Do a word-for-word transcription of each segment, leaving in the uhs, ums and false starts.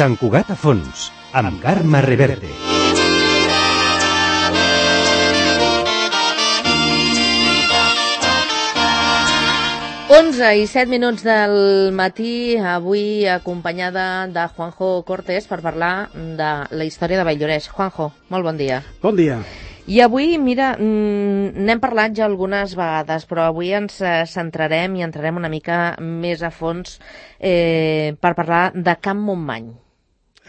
Sant Cugat a fons, amb Carme Reverte. onze i set minuts del matí, avui acompanyada de Juanjo Cortés per parlar de la història de Valldoreix. Juanjo, molt bon dia. Bon dia. I avui, mira, n'hem parlat ja algunes vegades, però avui ens centrarem i entrarem una mica més a fons eh, per parlar de Can Montmany.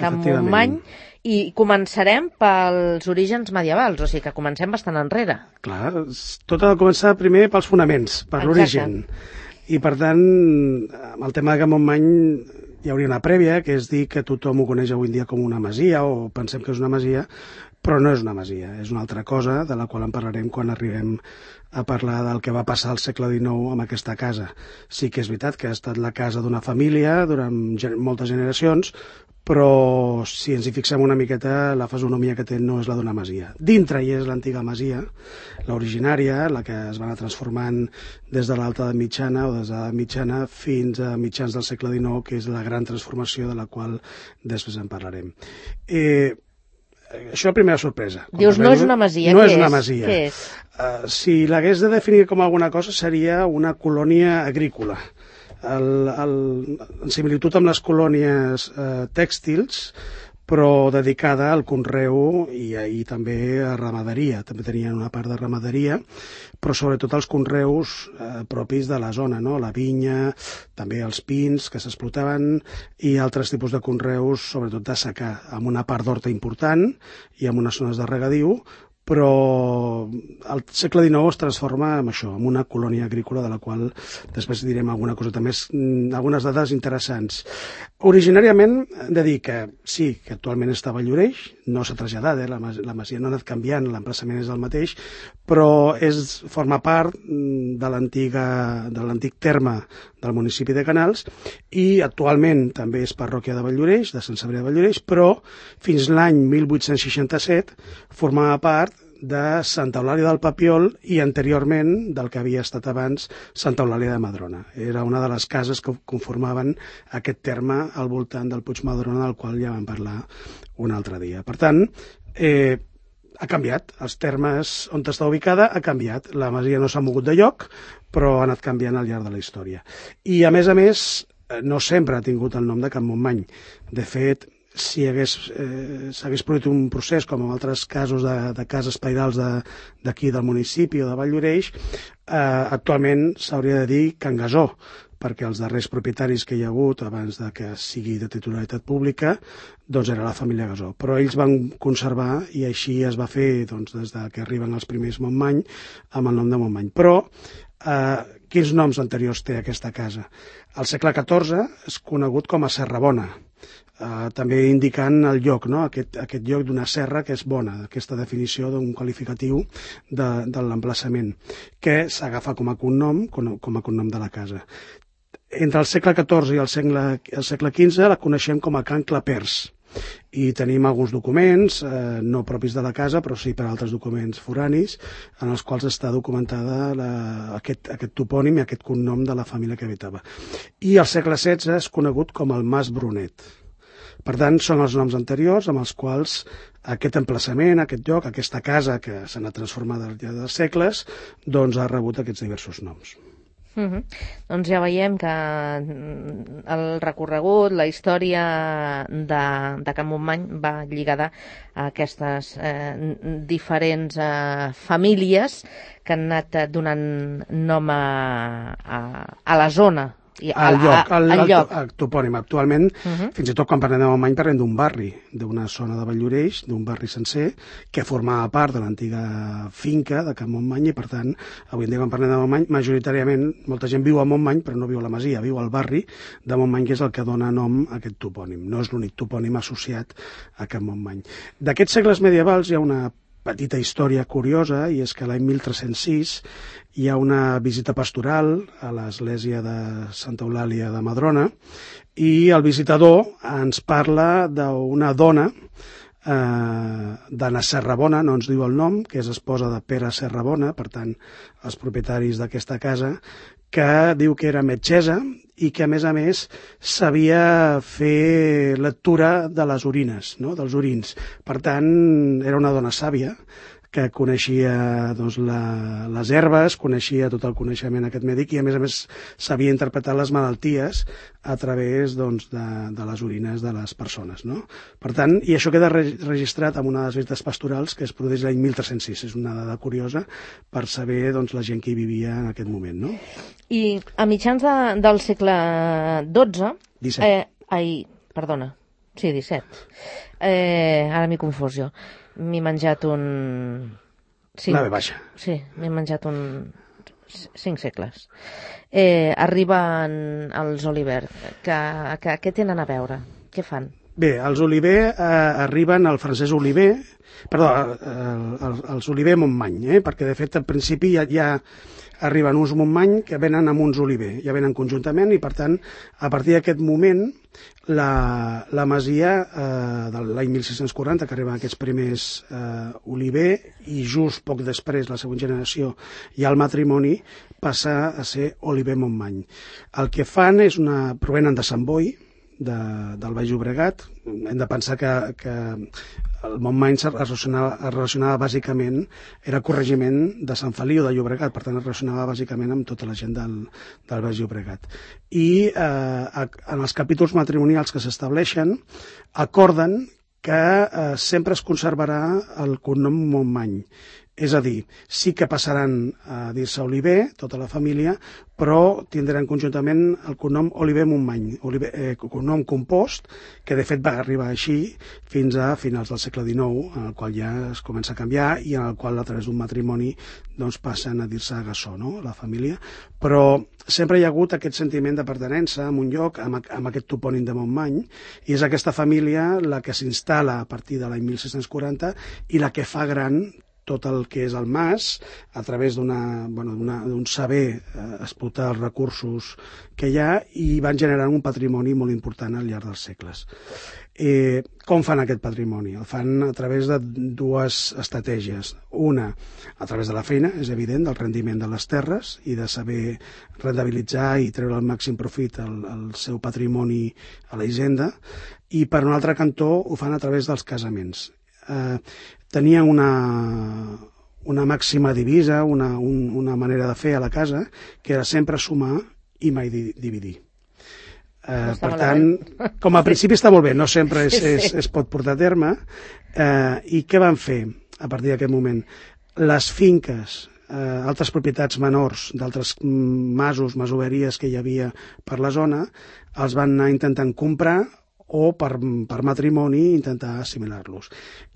Can Montmany, i començarem pels orígens medievals, o sigui que comencem bastant enrere. Clar, tot ha de començar primer pels fonaments, per l'origen. I per tant, amb el tema de Can Montmany hi hauria una prèvia, que és dir que tothom ho coneix avui en dia com una masia, o pensem que és una masia, però no és una masia, és una altra cosa de la qual en parlarem quan arribem a parlar del que va passar al segle dinou amb aquesta casa. Sí que és veritat que ha estat la casa d'una família durant moltes generacions, però si ens hi fixem una miqueta, la fisonomia que té no és la d'una masia. Dintre hi és l'antiga masia, l'originària, la que es va anar transformant des de l'alta edat mitjana o des de l'edat mitjana fins a mitjans del segle dinou, que és la gran transformació de la qual després en parlarem. Eh, això la primera sorpresa. Dius, no és una masia, no què és? Una és? masia. Què és? Uh, si l'hagués de definir com alguna cosa seria una colònia agrícola. El, el, en similitud amb les colònies eh, tèxtils, però dedicada al conreu i, i també a ramaderia. També tenien una part de ramaderia, però sobretot els conreus eh, propis de la zona, no? La vinya, també els pins que s'explotaven i altres tipus de conreus, sobretot de secà, amb una part d'horta important i amb unes zones de regadiu, però el segle dinou es transforma en això, en una colònia agrícola de la qual després direm alguna coseta més, algunes dades interessants. Originàriament hem de dir que sí, que actualment està a Valldoreix, no s'ha traslladat, eh? la, la masia no ha anat canviant, l'emplaçament és el mateix, però és, forma part de l'antiga de l'antic terme del municipi de Canals i actualment també és parròquia de Valldoreix, de Sant Cebrià de Valldoreix, però fins l'any mil vuit-cents seixanta-set formava part de Santa Eulàlia del Papiol i anteriorment del que havia estat abans Santa Eulàlia de Madrona. Era una de les cases que conformaven aquest terme al voltant del Puig Madrona, del qual ja vam parlar un altre dia. Per tant, eh, ha canviat. Els termes on està ubicada ha canviat. La masia no s'ha mogut de lloc, però ha anat canviant al llarg de la història. I, a més a més, no sempre ha tingut el nom de Can Montmany. De fet, si hagués, eh, s'hagués produït un procés, com en altres casos de, de cases pairals d'aquí de, del municipi o de Valldoreix, eh, actualment s'hauria de dir Can Gasó, perquè els darrers propietaris que hi ha hagut abans de que sigui de titularitat pública doncs era la família Gasó, però ells van conservar i així es va fer doncs, des de que arriben els primers Montmany amb el nom de Montmany. Però eh, quins noms anteriors té aquesta casa? Al segle catorze és conegut com a Serrabona, eh, també indicant el lloc, no? aquest, aquest lloc d'una serra que és bona, aquesta definició d'un qualificatiu de, de l'emplaçament, que s'agafa com a cognom, com, com a cognom de la casa. Entre el segle catorze i el segle, el segle quinze la coneixem com a Can Clapers i tenim alguns documents, eh, no propis de la casa, però sí per altres documents foranis, en els quals està documentada la, aquest, aquest topònim i aquest cognom de la família que habitava. I al segle setze és conegut com el Mas Brunet. Per tant, són els noms anteriors amb els quals aquest emplaçament, aquest lloc, aquesta casa que s'ha anat transformant al llarg dels segles, doncs ha rebut aquests diversos noms. Uh -huh. Doncs ja veiem que el recorregut, la història de, de Can Montmany va lligada a aquestes eh, diferents eh, famílies que han anat donant nom a, a, a la zona. I al lloc, al, al al, lloc. al topònim. Actualment, uh -huh. fins i tot quan parlem de Montmany parlem d'un barri, d'una zona de Valldoreix, d'un barri sencer, que formava part de l'antiga finca de Can Montmany i, per tant, avui en dia quan parlem de Montmany, majoritàriament molta gent viu a Montmany, però no viu a la masia, viu al barri de Montmany, que és el que dona nom a aquest topònim. No és l'únic topònim associat a Can Montmany. D'aquests segles medievals hi ha una petita història curiosa, i és que l'any mil tres-cents sis hi ha una visita pastoral a l'església de Santa Eulàlia de Madrona i el visitador ens parla d'una dona, eh, d'Anna Serrabona, no ens diu el nom, que és esposa de Pere Serrabona, per tant, els propietaris d'aquesta casa, que diu que era metgessa i que, a més a més, sabia fer lectura de les orines, no? dels orins. Per tant, era una dona sàvia, que coneixia doncs, la, les herbes, coneixia tot el coneixement aquest mèdic i, a més a més, sabia interpretar les malalties a través doncs, de, de les orines de les persones. No? Per tant, i això queda re registrat en una de les visites pastorals que es produeix l'any mil tres-cents sis. És una dada curiosa per saber doncs, la gent que hi vivia en aquest moment. No? I a mitjans de, del segle dotze... disset. Eh, ai, perdona, sí, disset. Eh, ara m'he confós jo. M'he menjat un... Cinc. La ve baixa. Sí, m'he menjat un... cinc segles. Eh, arriben els Oliver. Que, que, què tenen a veure? Què fan? Bé, els Oliver eh, arriben al francès Oliver, perdó, eh, els Oliver Montmany, eh, perquè de fet al principi ja, ja arriben uns Montmany que venen amb uns Oliver, ja venen conjuntament i per tant a partir d'aquest moment la, la masia eh, de l'any mil sis-cents quaranta que arriben aquests primers eh, Oliver i just poc després la següent generació i el matrimoni passa a ser Oliver Montmany. El que fan és una... provenen de Sant Boi, de, del Baix Llobregat. Hem de pensar que, que el Montmany es relacionava, es relacionava bàsicament, era corregiment de Sant Feliu de Llobregat, per tant es relacionava bàsicament amb tota la gent del, del Baix Llobregat. I eh, en els capítols matrimonials que s'estableixen acorden que eh, sempre es conservarà el cognom Montmany. És a dir, sí que passaran a dir-se Oliver, tota la família, però tindran conjuntament el cognom Oliver Montmany, Oliver, eh, cognom compost, que de fet va arribar així fins a finals del segle dinou, en el qual ja es comença a canviar i en el qual a través d'un matrimoni doncs, passen a dir-se Gassó, no? La família. Però sempre hi ha hagut aquest sentiment de pertinença a un lloc, amb, amb aquest topònim de Montmany, i és aquesta família la que s'instal·la a partir de l'any mil sis-cents quaranta i la que fa gran tot el que és el mas, a través d'una, bueno, d'un saber eh, explotar els recursos que hi ha i van generant un patrimoni molt important al llarg dels segles. Eh, com fan aquest patrimoni? El fan a través de dues estratègies. Una, a través de la feina, és evident, del rendiment de les terres i de saber rendibilitzar i treure el màxim profit al, al seu patrimoni a la hisenda, i per un altre cantó ho fan a través dels casaments. Eh, tenien una, una màxima divisa, una, un, una manera de fer a la casa, que era sempre sumar i mai di, dividir. Eh, per tant, com a principi està molt bé, no sempre es, es, es pot portar a terme. Eh, I què van fer a partir d'aquest moment? Les finques, eh, altres propietats menors d'altres masos, masoveries que hi havia per la zona, els van anar intentant comprar o per, per matrimoni intentar assimilar-los.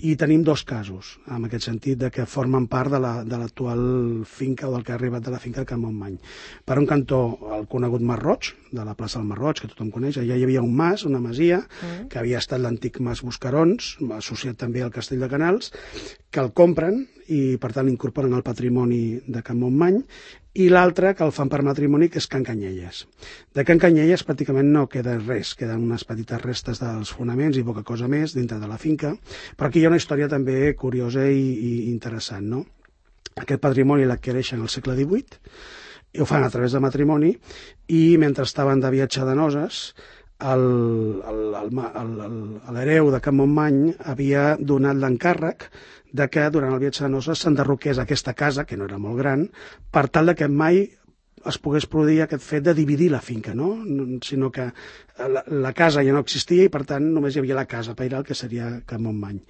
I tenim dos casos, en aquest sentit, de que formen part de l'actual la, finca o del que ha arribat de la finca de Can Montmany. Per un cantó, el conegut Mas Roig, de la plaça del Mas Roig, que tothom coneix, allà hi havia un mas, una masia, mm. que havia estat l'antic mas Buscarons, associat també al Castell de Canals, que el compren i, per tant, l'incorporen al patrimoni de Can Montmany, i l'altre que el fan per matrimoni, que és Can Canyelles. De Can Canyelles pràcticament no queda res, queden unes petites restes dels fonaments i poca cosa més dintre de la finca, però aquí hi ha una història també curiosa i, i interessant, no? Aquest patrimoni l'adquireixen al segle divuit, i ho fan a través de matrimoni, i mentre estaven de viatge de noces, l'hereu de Can Montmany havia donat l'encàrrec de que durant el viatge de noces s'enderroqués aquesta casa, que no era molt gran, per tal de que mai es pogués produir aquest fet de dividir la finca, no? Sinó que la, la casa ja no existia i, per tant, només hi havia la casa pairal, que seria Can Montmany.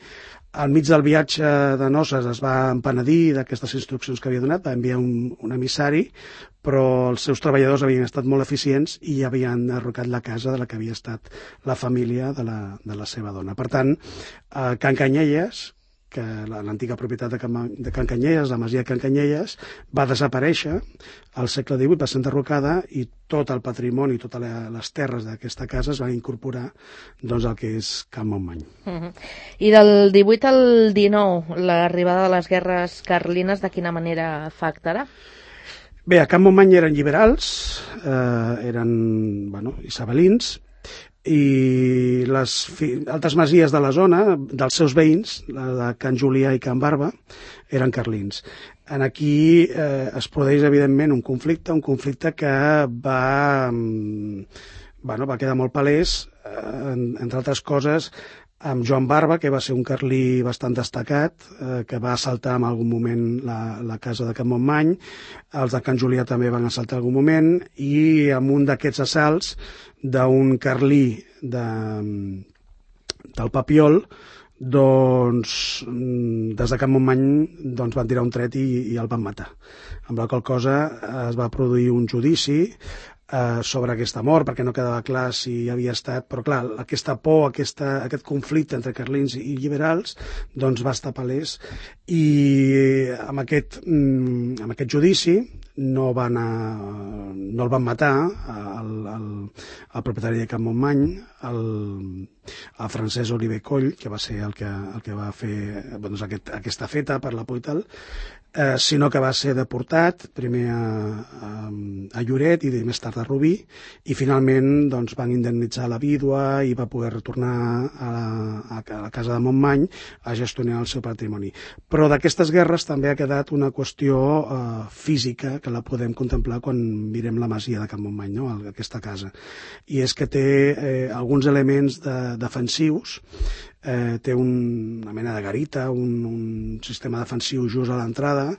Al mig del viatge de noces es va empenedir d'aquestes instruccions que havia donat, va enviar un, un emissari, però els seus treballadors havien estat molt eficients i havien derrocat la casa de la que havia estat la família de la, de la seva dona. Per tant, a Can Canyelles, que l'antiga propietat de Can, de Can Canyelles, la masia de Can Canyelles, va desaparèixer al segle divuit, va ser enderrocada i tot el patrimoni, totes les terres d'aquesta casa es van incorporar doncs, al que és Can Montmany. Uh-huh. I del divuit al dinou, l'arribada de les guerres carlines, de quina manera afectarà? Bé, a Can Montmany eren liberals, eh, eren bueno, isabelins, i les altres masies de la zona, dels seus veïns, la de Can Julià i Can Barba, eren carlins. En aquí eh, es produeix, evidentment, un conflicte, un conflicte que va, bueno, va quedar molt palès, eh, entre altres coses, amb Joan Barba, que va ser un carlí bastant destacat, eh, que va assaltar en algun moment la, la casa de Can Montmany, els de Can Julià també van assaltar en algun moment, i amb un d'aquests assalts d'un carlí de, del Papiol, doncs des de Can Montmany doncs, van tirar un tret i, i el van matar. Amb la qual cosa es va produir un judici Uh, sobre aquesta mort, perquè no quedava clar si havia estat, però clar, aquesta por, aquesta, aquest conflicte entre carlins i liberals, doncs va estar palès, i amb aquest, mm, amb aquest judici no, van a, no el van matar el, el, el propietari de Can Montmany, el, el Francesc Oliver Coll, que va ser el que, el que va fer doncs, aquest, aquesta feta per la por i tal, eh, sinó que va ser deportat primer a, a, a Lloret i més tard a Rubí, i finalment doncs, van indemnitzar la vídua i va poder retornar a la, a la casa de Montmany a gestionar el seu patrimoni. Però d'aquestes guerres també ha quedat una qüestió eh, física que la podem contemplar quan mirem la masia de Can Montmany, no? Aquesta casa. I és que té eh, alguns elements de, defensius, eh, té un, una mena de garita, un, un sistema defensiu just a l'entrada,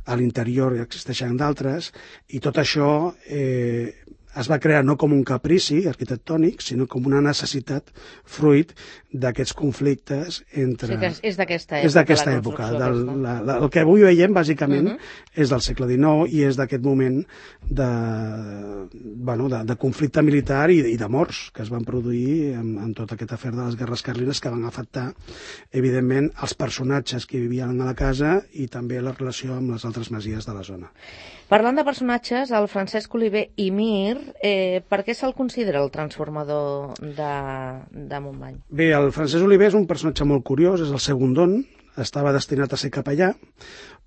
a l'interior hi existeixen d'altres, i tot això eh, es va crear no com un caprici arquitectònic, sinó com una necessitat fruit d'aquests conflictes entre... Sí, que és d'aquesta època. És d'aquesta època. Del, la, la, el que avui veiem, bàsicament, uh -huh. és del segle dinou i és d'aquest moment de, bueno, de, de conflicte militar i, i de morts que es van produir en, en tot aquest afer de les guerres carlines, que van afectar, evidentment, els personatges que vivien a la casa i també la relació amb les altres masies de la zona. Parlant de personatges, el Francesc Oliver i Mir, eh, per què se'l considera el transformador de, de Montmany? Bé, el Francesc Oliver és un personatge molt curiós, és el segundon, estava destinat a ser capellà,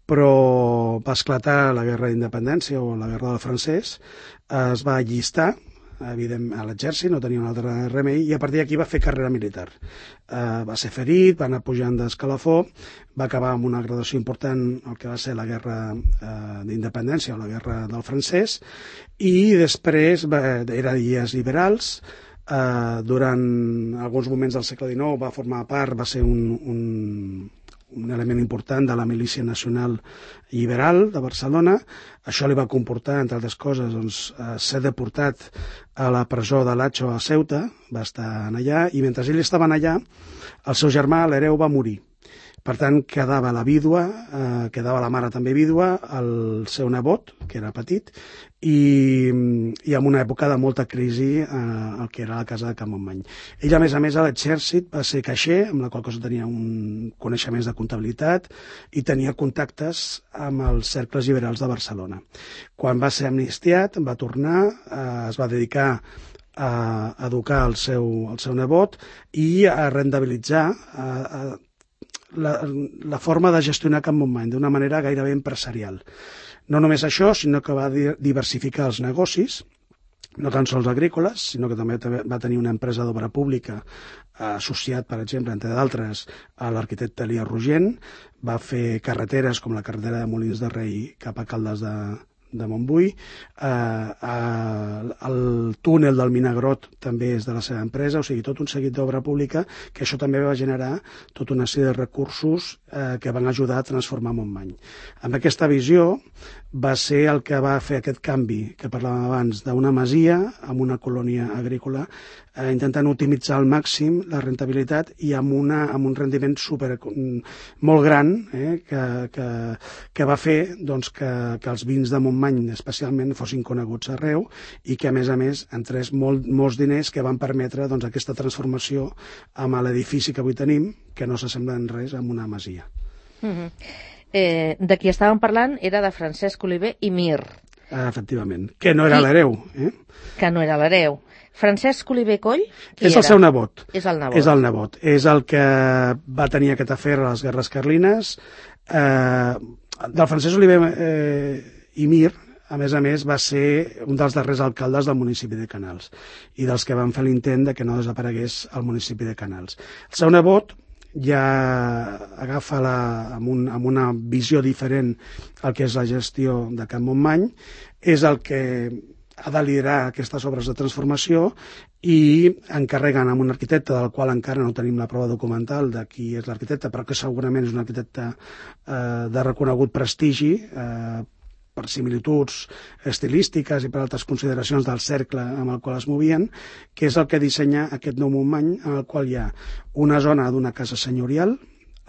però va esclatar la guerra d'independència o la guerra del francès, es va allistar evident, a l'exèrcit, no tenia un altre remei, i a partir d'aquí va fer carrera militar. Uh, va ser ferit, va anar pujant d'escalafó, va acabar amb una graduació important el que va ser la guerra uh, d'independència o la guerra del francès, i després va, era d'illes liberals. Uh, durant alguns moments del segle dinou va formar part, va ser un, un, un element important de la milícia nacional liberal de Barcelona. Això li va comportar, entre altres coses, doncs, uh, ser deportat a la presó de l'Atxo a Ceuta, va estar allà, i mentre ell estava allà, el seu germà, l'hereu, va morir. Per tant, quedava la vídua, eh, quedava la mare també vídua, el seu nebot, que era petit, i, i en una època de molta crisi eh, el que era la casa de Can Montmany. Ell, a més a més, a l'exèrcit va ser caixer, amb la qual cosa tenia un coneixements de comptabilitat i tenia contactes amb els cercles liberals de Barcelona. Quan va ser amnistiat, va tornar, eh, es va dedicar a educar el seu, el seu nebot i a rendibilitzar a, a La, la forma de gestionar Can Montmany d'una manera gairebé empresarial. No només això, sinó que va diversificar els negocis, no tan sols agrícoles, sinó que també va tenir una empresa d'obra pública associat, per exemple, entre d'altres, a l'arquitecte Elias Rogent, va fer carreteres com la carretera de Molins de Rei cap a Caldes de, de Montbui, eh, eh, el túnel del Minagrot també és de la seva empresa, o sigui, tot un seguit d'obra pública, que això també va generar tota una sèrie de recursos eh, que van ajudar a transformar Montmany. Amb aquesta visió va ser el que va fer aquest canvi que parlàvem abans, d'una masia amb una colònia agrícola, eh, intentant optimitzar al màxim la rentabilitat i amb, una, amb un rendiment super, molt gran, eh, que, que, que va fer doncs, que, que els vins de Montmany especialment fossin coneguts arreu i que a més a més entrés molt, molts diners que van permetre doncs, aquesta transformació amb l'edifici que avui tenim, que no s'assembla en res amb una masia. Mm-hmm. eh, de qui estàvem parlant era de Francesc Oliver i Mir. Ah, efectivament, que no era l'hereu. Eh? Que no era l'hereu. Francesc Oliver Coll, qui és el era? seu nebot. És el nebot. És el nebot. És el que va tenir aquest afer a les guerres carlines. Eh, del Francesc Oliver eh, i Mir, a més a més, va ser un dels darrers alcaldes del municipi de Canals i dels que van fer l'intent de que no desaparegués el municipi de Canals. El seu nebot ja agafa la, amb, un, amb una visió diferent el que és la gestió de Can Montmany, és el que ha de liderar aquestes obres de transformació i encarreguen amb un arquitecte del qual encara no tenim la prova documental de qui és l'arquitecte, però que segurament és un arquitecte eh, de reconegut prestigi, eh, per similituds estilístiques i per altres consideracions del cercle amb el qual es movien, que és el que dissenya aquest nou Montmany, en el qual hi ha una zona d'una casa senyorial,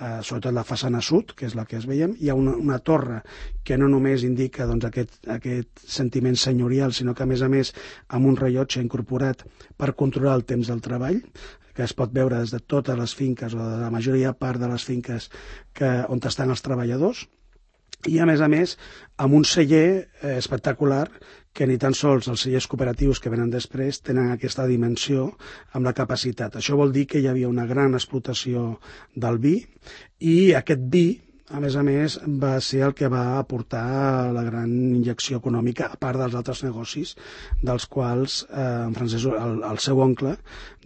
eh, sobretot la façana sud, que és la que es veiem, hi ha una, una torre que no només indica doncs, aquest, aquest sentiment senyorial, sinó que a més a més amb un rellotge incorporat per controlar el temps del treball, que es pot veure des de totes les finques o de la majoria part de les finques que, on estan els treballadors, i a més a més amb un celler eh, espectacular que ni tan sols els cellers cooperatius que venen després tenen aquesta dimensió amb la capacitat. Això vol dir que hi havia una gran explotació del vi i aquest vi, a més a més, va ser el que va aportar la gran injecció econòmica, a part dels altres negocis, dels quals eh, en Francesc, el, el seu oncle,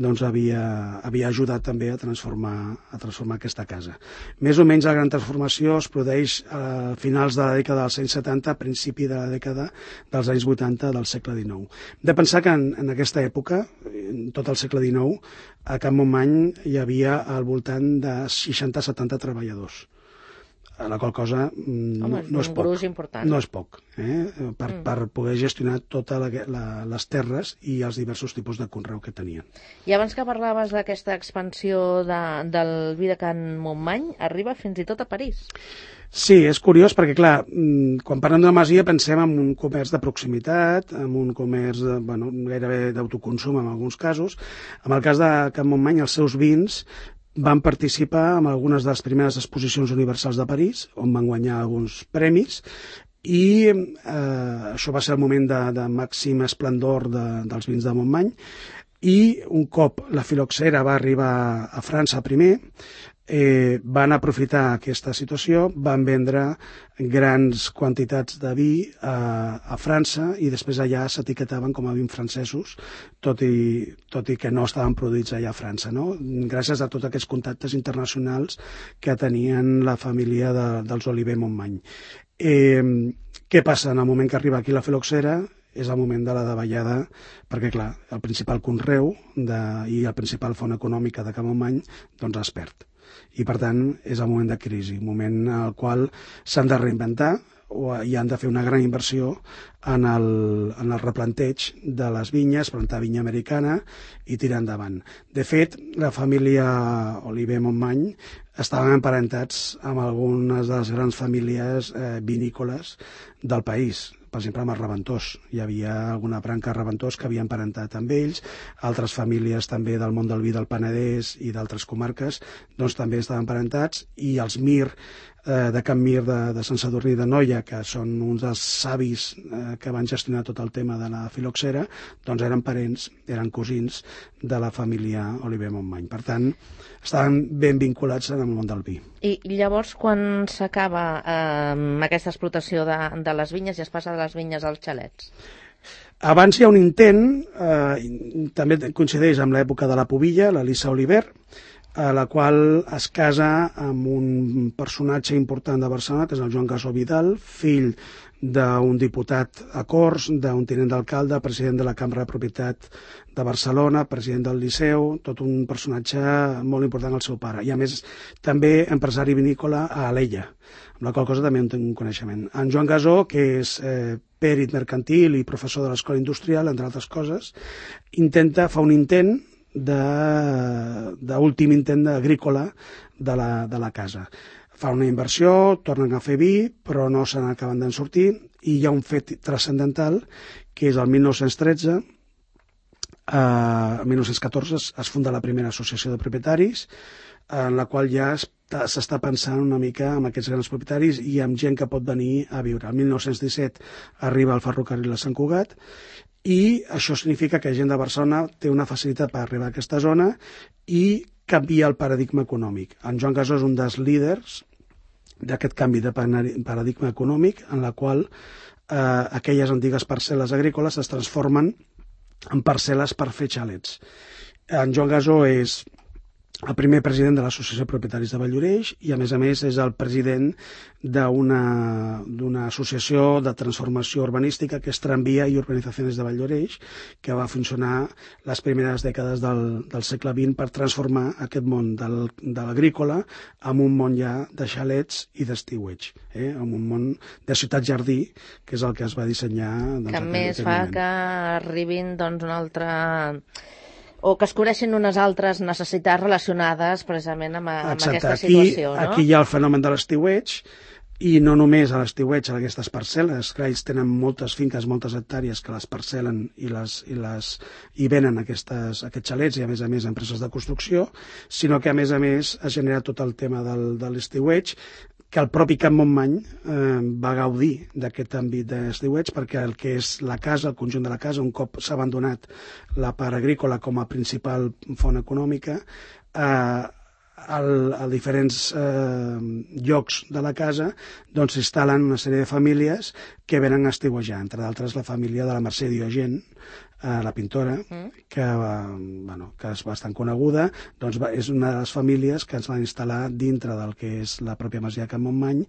doncs havia, havia ajudat també a transformar, a transformar aquesta casa. Més o menys la gran transformació es produeix a finals de la dècada dels anys setanta, a principi de la dècada dels anys vuitanta del segle dinou. Hem de pensar que en, en aquesta època, en tot el segle dinou, a Can Montmany hi havia al voltant de seixanta a setanta treballadors. A la qual cosa Home, no, no és poc. Important. No és poc, eh? per, mm. per poder gestionar totes les terres i els diversos tipus de conreu que tenien. I abans que parlaves d'aquesta expansió de, del vi de Can Montmany, arriba fins i tot a París. Sí, és curiós perquè, clar, quan parlem de masia pensem en un comerç de proximitat, en un comerç de, bueno, gairebé d'autoconsum en alguns casos. En el cas de Can Montmany, els seus vins van participar en algunes de les primeres exposicions universals de París, on van guanyar alguns premis, i eh, això va ser el moment de, de màxim esplendor de, dels vins de Montmany, i un cop la filoxera va arribar a França primer, eh, van aprofitar aquesta situació, van vendre grans quantitats de vi a, a França i després allà s'etiquetaven com a vins francesos, tot i, tot i que no estaven produïts allà a França, no? Gràcies a tots aquests contactes internacionals que tenien la família de, dels Oliver Montmany. Eh, què passa? En el moment que arriba aquí la filoxera és el moment de la davallada, perquè clar, el principal conreu de, i la principal font econòmica de Can Montmany doncs es perd. I per tant és el moment de crisi, un moment en el qual s'han de reinventar o hi han de fer una gran inversió en el, en el replanteig de les vinyes, plantar vinya americana i tirar endavant. De fet, la família Oliver Montmany estaven emparentats amb algunes de les grans famílies eh, vinícoles del país. Per exemple, amb els Reventós. Hi havia alguna branca Reventós que havia emparentat amb ells, altres famílies també del món del vi del Penedès i d'altres comarques doncs també estaven emparentats, i els Mir eh, de Can Mir de, de Sant Sadurní d'Anoia, que són uns dels savis eh, que van gestionar tot el tema de la filoxera, doncs eren parents, eren cosins de la família Oliver Montmany. Per tant, estaven ben vinculats en el món del vi. I llavors, quan s'acaba eh, aquesta explotació de, de les vinyes i es passa de les vinyes als xalets? Abans hi ha un intent, eh, també coincideix amb l'època de la Pubilla, l'Elisa Oliver, a la qual es casa amb un personatge important de Barcelona, que és el Joan Gasó Vidal, fill d'un diputat a Corts, d'un tinent d'alcalde, president de la Cambra de Propietat de Barcelona, president del Liceu, tot un personatge molt important al seu pare. I a més també empresari vinícola a Alella, amb la qual cosa també en tinc un coneixement. En Joan Gasó, que és eh, pèrit mercantil i professor de l'Escola Industrial, entre altres coses, intenta, fa un intent d'últim intent agrícola de la, de la casa. Fa una inversió, tornen a fer vi, però no se n'acaben d'en sortir, i hi ha un fet transcendental, que és el mil nou-cents tretze, eh, el mil nou-cents catorze es, es funda la primera associació de propietaris, en la qual ja s'està pensant una mica amb aquests grans propietaris i amb gent que pot venir a viure. El mil nou-cents disset arriba el ferrocarril a Sant Cugat, i això significa que gent de Barcelona té una facilitat per arribar a aquesta zona i canvia el paradigma econòmic. En Joan Gasó és un dels líders d'aquest canvi de paradigma econòmic, en la qual eh, aquelles antigues parcel·les agrícoles es transformen en parcel·les per fer xalets. En Joan Gasó és el primer president de l'Associació de Propietaris de Valldoreix i, a més a més, és el president d'una d'una associació de transformació urbanística que és Tramvia i Urbanitzacions de Valldoreix, que va funcionar les primeres dècades del, del segle vint per transformar aquest món del, de l'agrícola en un món ja de xalets i d'estiueig, eh? en un món de ciutat-jardí, que és el que es va dissenyar. Doncs, que aquest, més aquest fa moment. que arribin doncs, un altre... o que es coneixen unes altres necessitats relacionades precisament amb, amb Exacte. aquesta Aquí, situació, no? Aquí hi ha el fenomen de l'estiueig, i no només a l'estiueig, a aquestes parcel·les, que ells tenen moltes finques, moltes hectàrees que les parcel·len i, les, i, les, i venen aquestes, aquests xalets i, a més a més, empreses de construcció, sinó que, a més a més, es genera tot el tema del, de l'estiueig, que el propi Camp Montmany eh, va gaudir d'aquest àmbit d'estiueig, perquè el que és la casa, el conjunt de la casa, un cop s'ha abandonat la part agrícola com a principal font econòmica, eh, al, a diferents eh, llocs de la casa doncs s'instal·len una sèrie de famílies que venen a estiuejar, entre d'altres la família de la Mercè Diogen, eh, la pintora, mm. que, eh, bueno, que és bastant coneguda, doncs va, és una de les famílies que es van instal·lar dintre del que és la pròpia masia de Camp Montmany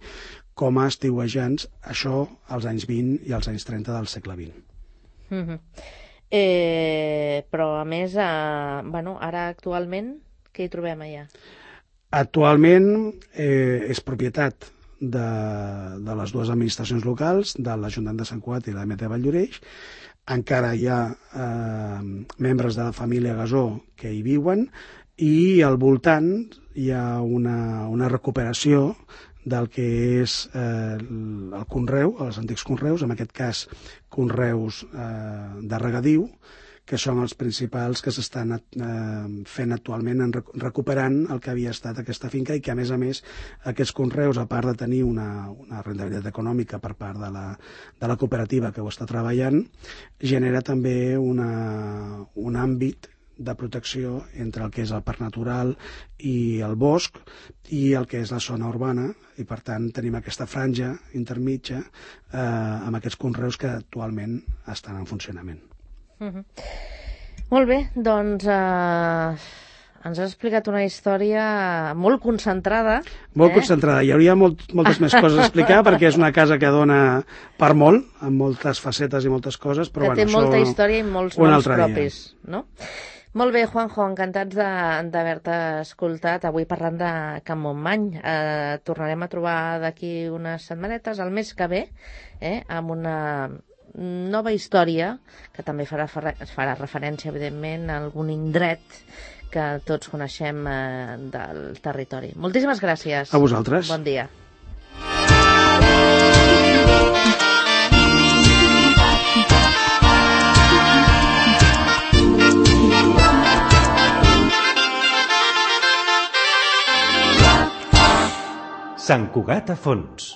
com a estiuejants, això als anys vint i als anys trenta del segle vint. Mm-hmm. eh, però a més, eh, bueno, ara actualment què hi trobem allà? Actualment eh, és propietat de, de les dues administracions locals, de l'Ajuntament de Sant Cugat i la M T Valldoreix. Encara hi ha eh, membres de la família Gasó que hi viuen i al voltant hi ha una, una recuperació del que és eh, el conreu, els antics conreus, en aquest cas conreus eh, de regadiu, que són els principals que s'estan eh, fent actualment, en rec recuperant el que havia estat aquesta finca i que, a més a més, aquests conreus, a part de tenir una, una rendibilitat econòmica per part de la, de la cooperativa que ho està treballant, genera també una, un àmbit de protecció entre el que és el parc natural i el bosc i el que és la zona urbana, i per tant tenim aquesta franja intermitja eh, amb aquests conreus que actualment estan en funcionament. Uh-huh. Molt bé, doncs eh, ens has explicat una història molt concentrada. Molt eh? concentrada. Hi hauria molt, moltes més coses a explicar perquè és una casa que dona per molt, amb moltes facetes i moltes coses, però que bueno, té molta història i molts noms propis, no? Molt bé, Juanjo, encantats d'haver-te escoltat avui parlant de Camp Montmany. Eh, tornarem a trobar d'aquí unes setmanetes, el mes que ve, eh, amb una nova història que també farà, farà referència, evidentment, a algun indret que tots coneixem eh, del territori. Moltíssimes gràcies. A vosaltres. Bon dia. Sant Cugat a fons.